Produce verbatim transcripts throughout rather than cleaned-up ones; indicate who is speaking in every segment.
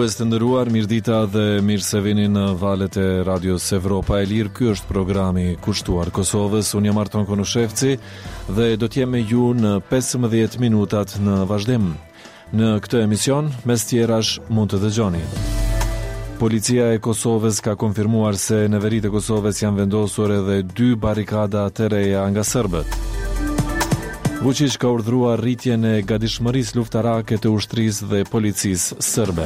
Speaker 1: Dëgjues të nderuar, mirëdita dhe mirë se vini në valët e Radios Evropa e Lirë. Ky është programi kushtuar Kosovës. Unë jam Arton Konushevci dhe do të jem me ju në pesëmbëdhjetë minutat në vazhdim. Në këtë emision, mes tjerash, mund të dëgjoni. Policia e Kosovës ka konfirmuar se në veri të Kosovës janë vendosur edhe dy barrikada të reja nga serbët. Vučić ka urdhëruar rritjen e gatishmërisë luftarake të ushtrisë dhe policisë serbe.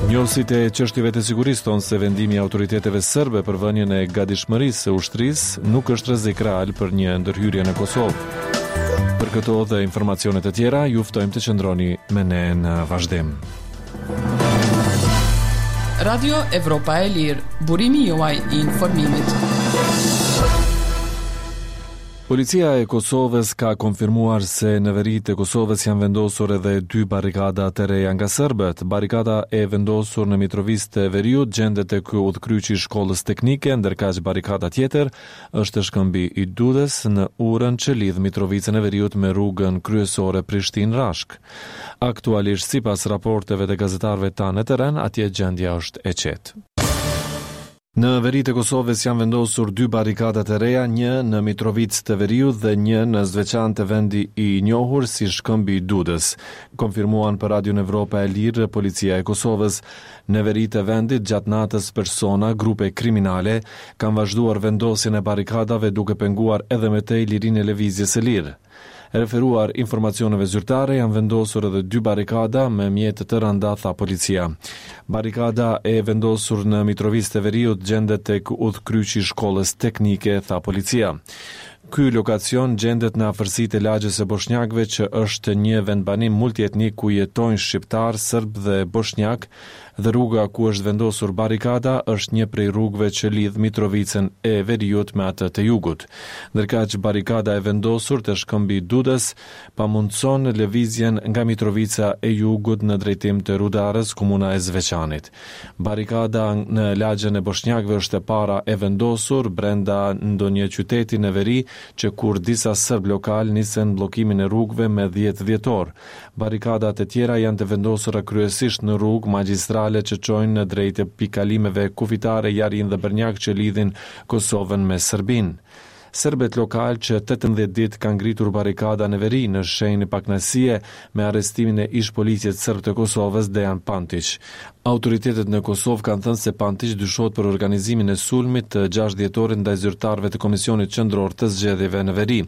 Speaker 1: Njohësit e çështjeve të sigurisë thonë se vendimi i autoriteteve serbe për vënien e gatishmërisë së ushtrisë nuk është rrezik real për një ndërhyrje në Kosovë. Për këto dhe informacione të tjera, ju ftojmë të qëndroni me ne në vazhdim.
Speaker 2: Radio Evropa e Lirë, burimi juaj i informimit.
Speaker 1: Policia e Kosovës ka konfirmuar se në veri të Kosovës janë vendosur edhe dy barrikada të reja nga serbët. Barrikada e vendosur në Mitrovicë të Veriut gjendet tek udhkryqi i shkollës teknike, ndërkaq barrikada tjetër është shkëmbi i Dudës në urën që lidh Mitrovicën e Veriut me rrugën kryesore Prishtinë-Rashk. Aktualisht, sipas raporteve të gazetarëve tanë në terren, atje gjendja është e qetë. Në veri të Kosovës janë vendosur dy barrikada të reja, një në Mitrovicë të Veriut dhe një në Zveçan të vendi i njohur si Shkëmbi i Dudës. Konfirmuan për Radion Evropa e Lirë Policia e Kosovës. Në veri të vendit gjatë natës persona, grupe kriminale kanë vazhduar vendosjen e barrikadave duke penguar edhe më tej lirinë e lëvizjes së lirë. Referuar informacioneve zyrtare, janë vendosur edhe dy barrikada me mjete të rënda, tha policia. Barrikada e vendosur në Mitrovicë të Veriut gjendet tek udhkryqi i shkollës teknike, tha policia. Ky lokacion gjendet në afërsi të lagjes së Boshnjakëve, që është një vendbanim multietnik ku jetojnë shqiptar, serb dhe boshnjak, dhe rruga ku është vendosur barrikada është një prej rrugëve që lidh Mitrovicën e Veriut me atë të Jugut. Ndërkaq barrikada e vendosur te Shkëmbi i Dudës pamundson lëvizjen nga Mitrovica e Jugut në drejtim të Rudarës, komuna e Zveçanit. Barrikada në lagjen e Boshnjakëve është e para e vendosur brenda ndonjë qyteti në veri që kur disa serb lokal nisën bllokimin e rrugëve me dhjetë dhjetor. Barrikadat e tjera janë të vendosura kryesisht në rrugë magjistrale që çojnë në drejt të pikalimeve kufitare Jarin dhe Bërnjak që lidhin Kosovën me Serbinë. Serbët lokal që tetëmbëdhjetë ditë kanë ngritur barrikada në veri në shenjë pakënaqësie me arrestimin e ish policit serb të Kosovës Dejan Pantić. Autoritetet në Kosovë kanë thënë se Pantić dyshohet për organizimin e sulmit të gjashtë dhjetorit ndaj zyrtarëve të Komisionit Qendror të Zgjedhjeve në veri.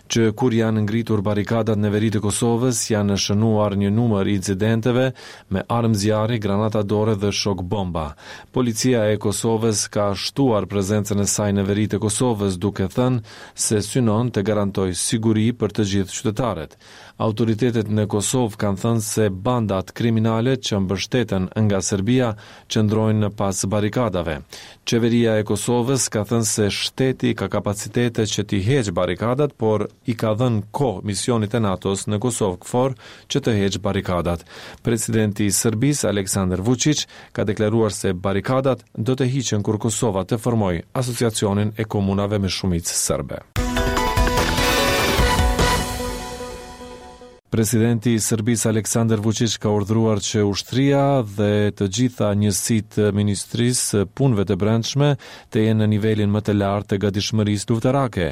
Speaker 1: Që kur janë ngritur barrikadat në veri të Kosovës, janë shënuar një numër incidenteve me armë zjarri, granata dore dhe shok bomba. Policia e Kosovës ka shtuar prezencën e saj në veri të Kosovës, duke thënë se synon të garantojë siguri për të gjithë qytetarët. Autoritetet në Kosovë kanë thënë se bandat kriminale që mbështeten nga Serbia qëndrojnë pas barrikadave. Qeveria e Kosovës ka thënë se shteti ka kapacitete që t'i heqë barrikadat, por i ka dhënë kohë misionit e NATO-s në Kosovë K F O R që të heqë barrikadat. Presidenti i Serbisë, Aleksandar Vučić, ka deklaruar se barrikadat do të hiqen kur Kosova të formojë asociacionin e komunave me shumicë serbe. Presidenti i Serbisë Aleksandar Vučić ka urdhëruar që ushtria dhe të gjitha njësitë e Ministrisë së Punëve të Brendshme të jenë në nivelin më të lartë të gatishmërisë luftarake.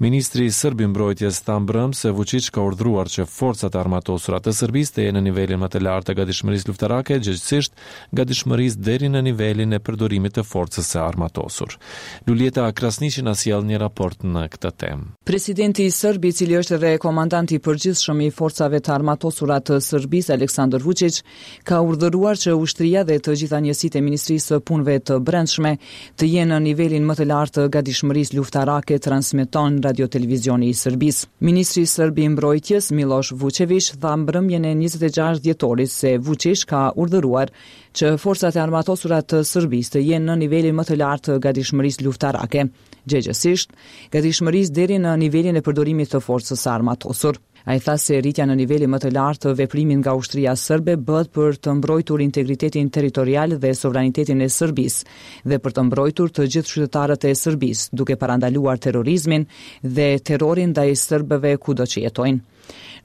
Speaker 1: Ministri serb i Mbrojtjes tha mbrëm se Vučić ka urdhëruar që forcat e armatosura të Serbisë të jenë në nivelin më të lartë të gatishmërisë luftarake, gjegjësisht gatishmërisë deri në nivelin e përdorimit të forcës së armatosur. Luljeta Krasniqi na sjell një raport në këtë temë.
Speaker 2: Presidenti i Serbisë, i cili është edhe komandanti i përgjithshëm i forcave të armatosura të Serbisë, Aleksandar Vučić, ka urdhëruar që ushtria dhe të gjitha njësitë e Ministrisë së Punëve të Brendshme të jenë në nivelin më të lartë të gatishmërisë luftarake, transmeton Radio Televizioni i Serbisë. Ministri serb i Mbrojtjes, Miloš Vučević, tha mbrëmjen e njëzet e gjashtë dhjetorit se Vučić ka urdhëruar që forcat e armatosura të Serbisë të jenë në nivelin më të lartë të gatishmërisë luftarake, gjegjësisht gatishmërisë deri në nivelin e përdorimit të forcës së armatosur. Ai tha se rritja në nivelin më të lartë të veprimit nga ushtria serbe bëhet për të mbrojtur integritetin territorial dhe sovranitetin e Serbisë dhe për të mbrojtur të gjithë qytetarët e Serbisë, duke parandaluar terrorizmin dhe terrorin ndaj serbëve kudo që jetojnë.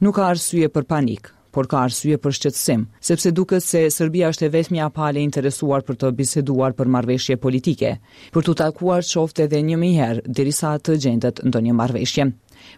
Speaker 2: Nuk ka arsye për panik, Por ka arsye për shqetësim, sepse duket se Serbia është e vetmja palë e interesuar për të biseduar për marrëveshje politike, për t'u takuar qoftë edhe një mijë herë derisa të gjendet ndonjë marrëveshje.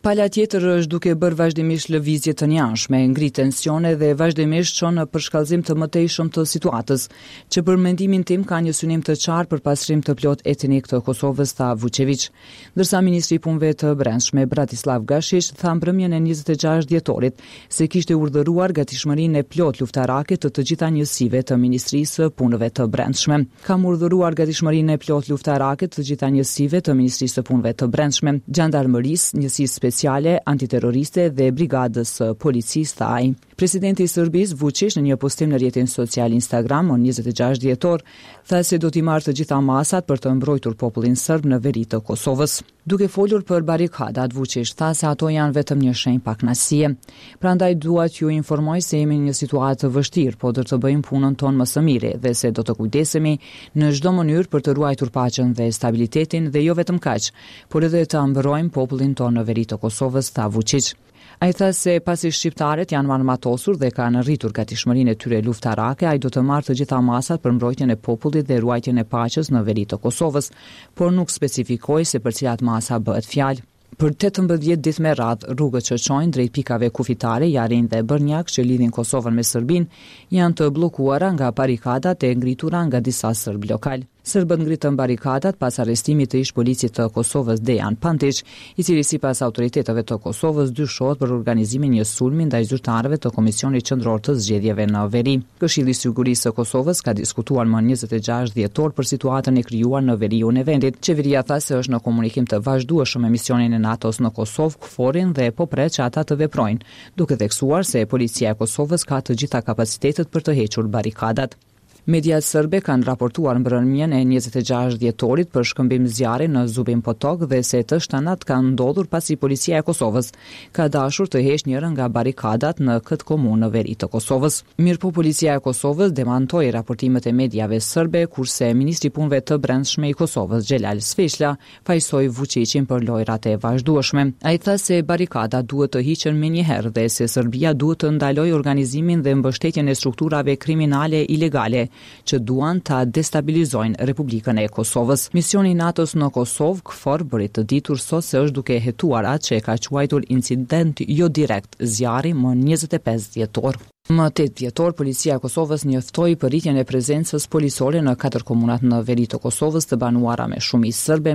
Speaker 2: Pala tjetër është duke bërë vazhdimisht lëvizje të njëanshme, ngrit tensione dhe vazhdimisht çon në përshkallëzim të mëtejshëm të situatës, që për mendimin tim ka një synim të qartë për pastrim të plot etnik të Kosovës, tha Vuçeviq. Ndërsa ministri i Punëve të Brendshme Bratislav Gashiq tha mbrëmjen e njëzet e gjashtë dhjetorit se kishte urdhëruar gatishmërinë e plotë luftarake të të gjitha njësive të Ministrisë së Punëve të Brendshme. Kam urdhëruar gatishmërinë e plotë luftarake të të gjitha njësive të Ministrisë së Punëve të Brendshme, Xhandarmërisë, Njësisë Speciale Antiterroriste dhe Brigadës së Policisë, tha ai. Presidenti i Serbisë, Vučić, në një postim në rrjetin social Instagram më njëzet e gjashtë dhjetor, tha se do t'i marrë të gjitha masat për të mbrojtur popullin serb në veri të Kosovës. Duke folur për barrikadat, Vučić tha se ato janë vetëm një shenjë pakënaqësie. Prandaj dua t'ju informoj se jemi në një situatë të vështirë, po do të bëjmë punën tonë më së miri dhe se do të kujdesemi në çdo mënyrë për të ruajtur paqen dhe stabilitetin dhe jo vetëm kaq, por edhe të mbrojmë popullin tonë në veri të Kosovës, tha Vučić. Ai tha se pasi shqiptarët janë armatosur dhe kanë rritur gatishmërinë e tyre luftarake, ai do të marrë të gjitha masat për mbrojtjen e popullit dhe ruajtjen e paqes në veri të Kosovës, por nuk specifikoi se për cilat masa bëhet fjalë. Për tetëmbëdhjetë ditë me radhë, rrugët që çojnë drejt pikave kufitare Jarin dhe Bërnjak që lidhin Kosovën me Serbinë janë të bllokuara nga barrikadat e ngritura nga disa serbë lokal. Serbët ngritën barrikadat pas arrestimit të ish policit të Kosovës Dejan Pantiq, i cili sipas autoriteteve të Kosovës dyshohet për organizimin një sulmi ndaj zyrtarëve të Komisionit Qendror të Zgjedhjeve në veri. Këshilli i Sigurisë së Kosovës ka diskutuar më njëzet e gjashtë dhjetor për situatën e krijuar në veriun e vendit. Qeveria tha se është në komunikim të vazhdueshëm me misionin e NATO-s në Kosovë, KFOR-in, dhe po pret që ata të veprojnë, duke theksuar se policia e Kosovës ka të gjitha kapacitetet për të hequr barrikadat. Mediat serbe kanë raportuar mbrëmjen e njëzet e gjashtë dhjetorit për shkëmbim zjarri në Zubin Potok dhe se të shtënat kanë ndodhur pasi policia e Kosovës ka dashur të heqë njërën nga barrikadat në këtë komunë në veri të Kosovës. Mirëpo policia e Kosovës demantoi raportimet e mediave serbe, kurse ministri i Punëve të Brendshme i Kosovës, Xhelal Sveçla, fajsoi Vučićin për lojrat e vazhdueshme. Ai tha se barrikadat duhet të hiqen menjëherë dhe se Serbia duhet të ndalojë organizimin dhe mbështetjen e strukturave kriminale ilegale që duan ta destabilizojnë Republikën e Kosovës. Misioni i NATO-s në Kosovë, KFOR, bëri të ditur sot se është duke hetuar atë që e ka quajtur incident jo direkt zjarri më njëzet e pesë dhjetor. Më tetë dhjetor, Policia e Kosovës njoftoi për rritjen e prezencës policore në katër komunat në veri të Kosovës të banuara me shumicë serbe